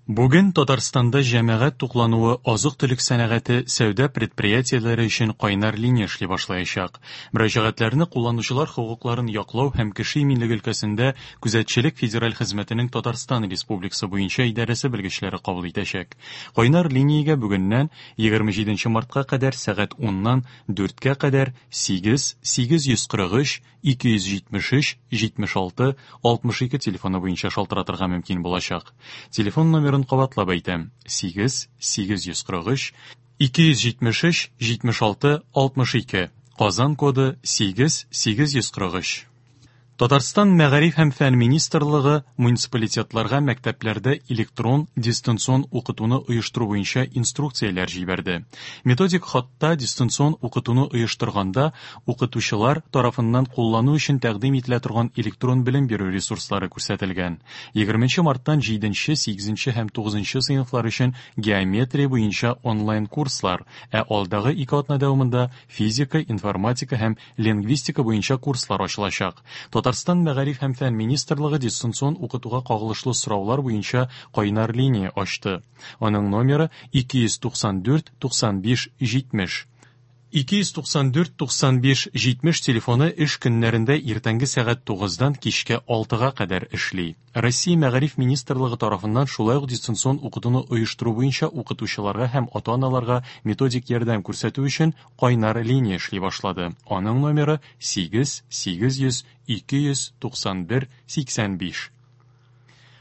Бүген Татарстанда җәмәгать туклануы, азык-төлек сәнәгате, сәүдә предприятиеләре өчен кайнар линия эшли башлаячак. Мөрәҗәгатьләрне кулланучылар хокукларын яклау һәм кеше иминлеге өлкәсендә күзәтчелек федераль хезмәтенең Татарстан Республикасы буенча идарәсе белгечләре кабул итәчәк. Кайнар линиягә бүгеннән 27 мартка кадәр сәгать 10-нан 4-кә кадәр 8 843 273 76 62 телефоны буенча шалтыратырга мөмкин булачак. Телефон номерын кабатлап әйтәм: 8 843 273 76 62. Казан коды 8 843. Татарстан Мәгариф һәм фән министрлыгы муниципалитетларга мәктәпләрдә электрон дистанцион укытуны оештыру буенча инструкцияләр җибәрде. Методик хатта дистанцион укытуны оештырганда укытучылар тарафыннан куллану өчен тәкъдим ителә торган электрон белем бирү ресурслары күрсәтелгән. 20 марттан 7, 8 һәм 9 сыйныфлар өчен геометрия буенча онлайн курслар, ә алдагы ике атна дәвамында физика, информатика һәм лингвистика буенча курслар ачылачак. Татарстан Мәгариф һәм фән министрлыгы дистанцион укытуга кагылышлы сораулар буенча кайнар линия ачты. Аның номеры 294 95 70. 294 95 70 телефоны эш көннәрендә иртәнге сәгать 9-дан кичке 6-га кадәр эшли. Россия Мәгариф министрлыгы тарафыннан шулай ук дистанцион укытуны оештыру буенча укытучыларга һәм ата-аналарга методик ярдәм күрсәтү өчен кайнар линия эшли башлады. Аның номеры 8 800 291 85.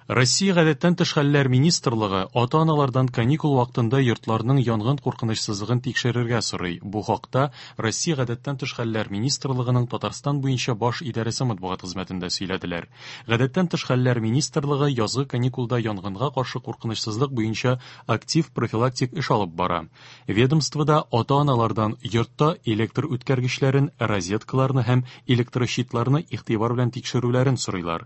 Россия гадәттән тыш хәлләр министрлыгы ата-аналардан каникул вакытында йортларның янгын куркынычсызлыгын тикшерергә сорый. Бу хакта Россия гадәттән тыш хәлләр министрлыгының Татарстан буенча баш идарәсе матбугат хезмәтендә сөйләделәр. Гадәттән тыш хәлләр министрлыгы язгы каникулда янгынга каршы куркынычсызлык буенча актив профилактик эш алып бара. Ведомствода ата-аналардан йортта электр үткәргечләрен, розеткаларны һәм электрощитларны игътибар белән тикшерүләрен сорыйлар.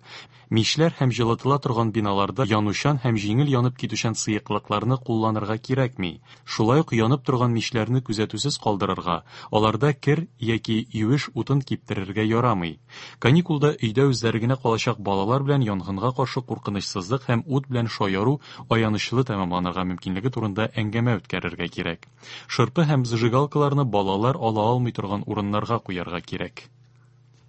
Мичләр һәм җылытыла торган биналарда янучан һәм җиңел янып китүчән сыеклыкларны кулланырга кирәкми. Шулай ук янып торган мичләрне күзәтүсез калдырырга, аларда кер яки юеш утын киптерергә ярамый. Каникулда өйдә үзләре генә калачак балалар белән янгынга каршы куркынычсызлык һәм ут белән шаяру аянычлы тәмамланырга мөмкинлеге турында әңгәмә үткәрергә кирәк. Шырпы һәм зажигалкаларны балалар ала алмый торган урыннарга куярга кирәк.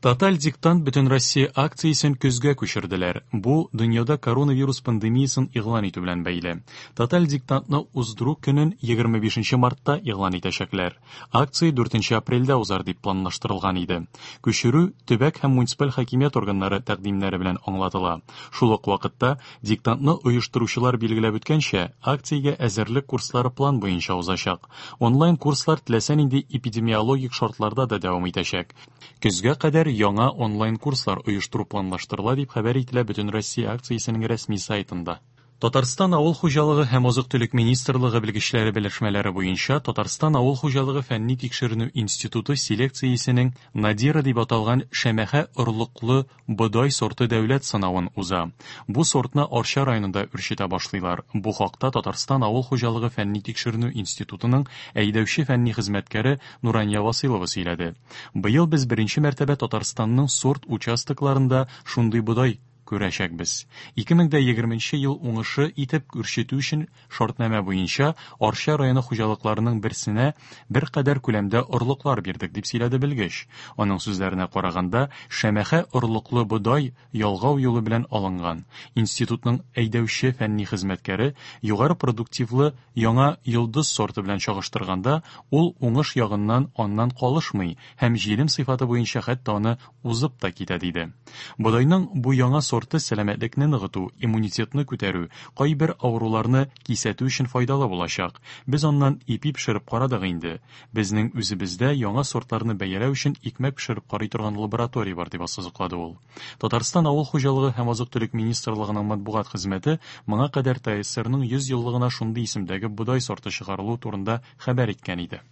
Тоталь диктант Бөтенроссия акциясен көзгә күчерделәр. Бу дөньяда коронавирус пандемиясен игълан итү белән бәйле. Тоталь диктантны уздыру көнен 25 мартта игълан итәчәкләр. Акция 4 апрельдә узар дип планлаштырылган иде. Күчерү төбәк һәм муниципаль хакимият органнары тәкъдимнәре белән аңлатыла. Шул ук вакытта диктантны оештыручылар билгеләп үткәнчә, акциягә әзерлек курслары план буенча узачак. Онлайн курслар теләсә нинди эпидемиологик шартларда да дәвам итәчәк. Көзгә кадәр яңа онлайн курслар оештыру планлаштырыла, дип хәбәр ителә Бөтенроссия акциясенең рәсми сайтында. Татарстан Авыл хуҗалыгы һәм азык-төлек министрлыгы белгечләре белешмәләре буенча Татарстан Авыл хуҗалыгы фәнни тикшеренү институты селекциясенең Надира дип аталган шәмәхә орлыклы бодай сорты дәүләт сынавын уза. Бу сортны Арча районында үрчетә башлыйлар. Бу хакта Татарстан Авыл хуҗалыгы фәнни тикшеренү институтының әйдәүче фәнни хезмәткәре Нурания Васыйлова сөйләде. Быел без беренче мәртәбә Татарстанның сорт участокларында шундый бодай күрәчәкбез. 2020 ел уңышы итеп үрчетү өчен шартнамә буенча Арча районы хуҗалыкларының берсенә беркадәр күләмдә орлыклар бирдек, дип сөйләде белгеч. Аның сүзләренә караганда, шәмәхә орлыклы бодай ялгау юлы белән алынган. Институтның әйдәүче фәнни хезмәткәре югары продуктивлы яңа Йолдыз сорты белән чагыштырганда, ул уңыш ягыннан аннан калышмый һәм җилем сыйфаты буенча хәтта аны узып та китә, диде. Бодайның бу яңа сорты сәламәтлекне ныгыту, иммунитетны күтәрү, кайбер авыруларны кисәтү өчен файдалы булачак. Без аннан ипи пешереп карадык инде. Безнең үзебездә яңа сортларны бәяләү өчен икмәк пешереп карый торган лаборатория бар, дип ассызыклады ул. Татарстан Авыл хуҗалыгы һәм азык-төлек министрлыгының матбугат хезмәте моңа кадәр ТАССРның 100 еллыгына шундый исемдәге бодай сорты чыгарылу турында хәбәр иткән иде.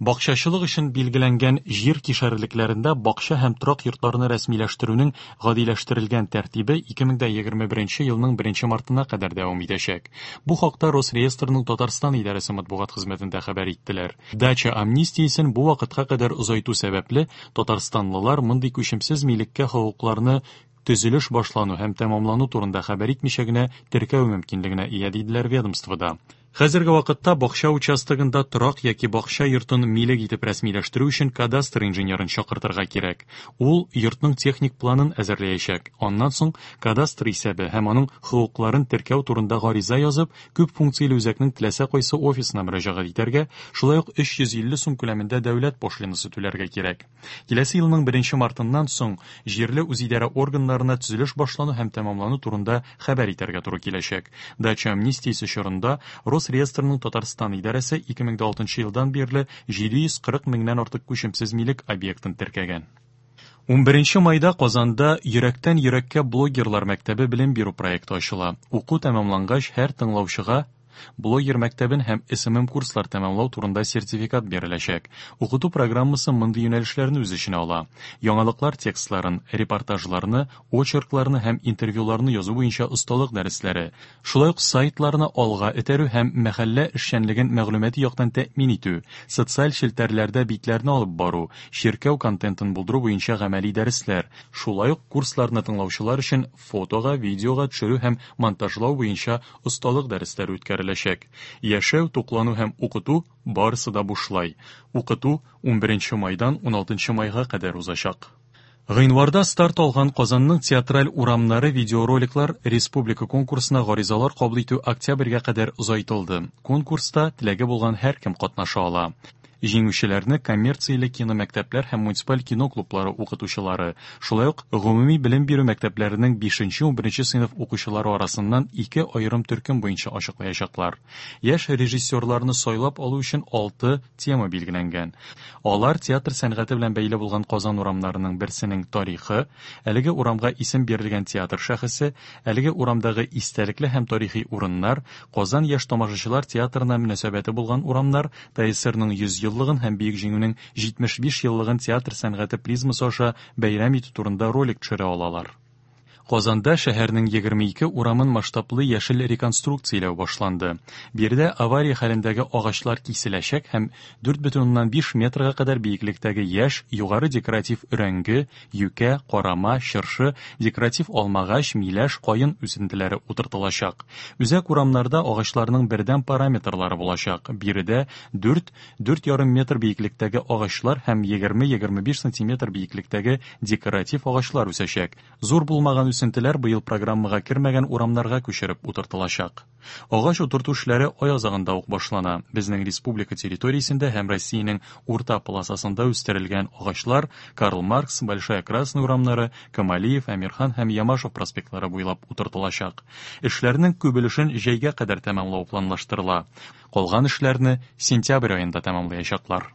Бакчачылык өчен билгеләнгән җир кишәрлекләрендә бакча һәм торак йортларны рәсмиләштерүнең гадиләштерелгән тәртибе 2021 елның 1 мартына кадәр дәвам итәчәк. Бу хакта Росреестрның Татарстан идарәсе матбугат хезмәтендә хәбәр иттеләр. Дача амнистиясен бу вакытка кадәр озайту сәбәпле, татарстанлылар мондый күчемсез милеккә хокукларны төзелеш башлану һәм тәмамлану турында хәбәр итмичә генә теркәү мөмкинлегенә ия, диделәр ведомствода. Хәзерге вакытта бакча участогында торак яки бакча йортын милек итеп рәсмиләштерү өчен кадастр инженерын чакыртырга кирәк. Ул йортның техник планын әзерләячәк. Аннан соң кадастр исәбе һәм аның хокукларын теркәү турында гариза язып, күп функцияле үзәкнең теләсә кайсы офисына мөрәҗәгать итәргә, шулай ук 350 сум күләмендә дәүләт пошлинасы түләргә кирәк. Киләсе елның 1 мартыннан соң җирле үзидарә органнарына төзелеш башлану һәм тәмамлану турында хәбәр итәргә туры киләчәк. Дача амнистиясе чорында Росреестрның Татарстан идарәсе 2006 елдан бирле 740 меңнән артык күчемсез милек объектын теркәгән. 11 майда Казанда Йөрәктән йөрәккә блогерлар мәктәбе белем бирү проекты ачыла. Уку тәмамлангач, һәр тыңлаучыга блогер мәктәбен һәм SMM курслар тәмамлау турында сертификат биреләчәк. Укыту программасы мондый юнәлешләрне үз эченә ала: яңалыклар текстларын, репортажларны, очеркларны һәм интервьюларны язу буенча осталык дәресләре, шулай ук сайтларны алга этәрү һәм мәхәллә эшчәнлеген мәгълүмати яктан тәэмин итү, социаль челтәрләрдә битләрне алып бару, чиркәү контентын булдыру буенча гамәли дәресләр, шулай ук курсларны тыңлаучылар өчен фотога, видеога төшерү һәм монтажлау буенча осталык дәресләре үткәреләчәк. Яшәү, туклану һәм укыту барысы да бушлай. Укыту 11 майдан 16 майга кадәр узачак. Гыйнварда старт алган Казанның театраль урамнары видеороликлар республика конкурсына гаризалар кабул итү октябрьгә кадәр озайтылды. Конкурста теләге булган һәркем катнаша ала. Җиңүчеләрне коммерцияле киномәктәпләр һәм муниципаль кино клублары укытучылары, шулай ук гомуми белем бирү мәктәпләренең 5-11 сыйныф укучылары арасыннан ике аерым төркем буенча ачыклаячаклар. Яшь режиссерларны сайлап алу өчен 6 тема билгеләнгән. Алар театр сәнгате белән бәйле булган Казан урамнарының берсенең тарихы, әлеге урамга исем бирелгән театр шәхесе, әлеге урамдагы истәлекле һәм тарихи урыннар, Казан яшь тамашачылар театрына мөнәсәбәте булган урамнар, ТАССРның 100 еллыгын һәм Бөек Җиңүнең 75 еллыгын театр сәнгате призмасы аша бәйрәм итү турында ролик төшерә алалар. Казанда шәһәрнең 22 урамын масштаблы яшел реконструкцияләү башланды. Биредә авария хәлендәге агачлар киселәчәк һәм 4,5 метрга кадәр биеклектәге яшь, югары декоратив өрәңге, юкә, карама, чыршы, декоратив алмагач, миләш, каен үсентеләре утыртылачак. Үзәк урамнарда агачларның бердәм параметрлары булачак. Биредә 4-4,5 метр биеклектәге агачлар һәм 20-25 сантиметр биеклектәге декоратив агачлар үсәчәк. Зур булмаган үсентеләр быел программага кермәгән урамнарга күчереп утыртылачак. Агач утырту эшләре ай азагында ук башлана. Безнең республика территориясендә һәм Россиянең урта полосасында үстерелгән агачлар Карл Маркс, Большая Красная урамнары, Камалиев, Әмирхан һәм Ямашев проспектлары буйлап утыртылачак. Эшләрнең күп өлешен җәйгә кадәр тәмамлау планлаштырыла. Калган эшләрне сентябрь аенда тәмамлаячаклар.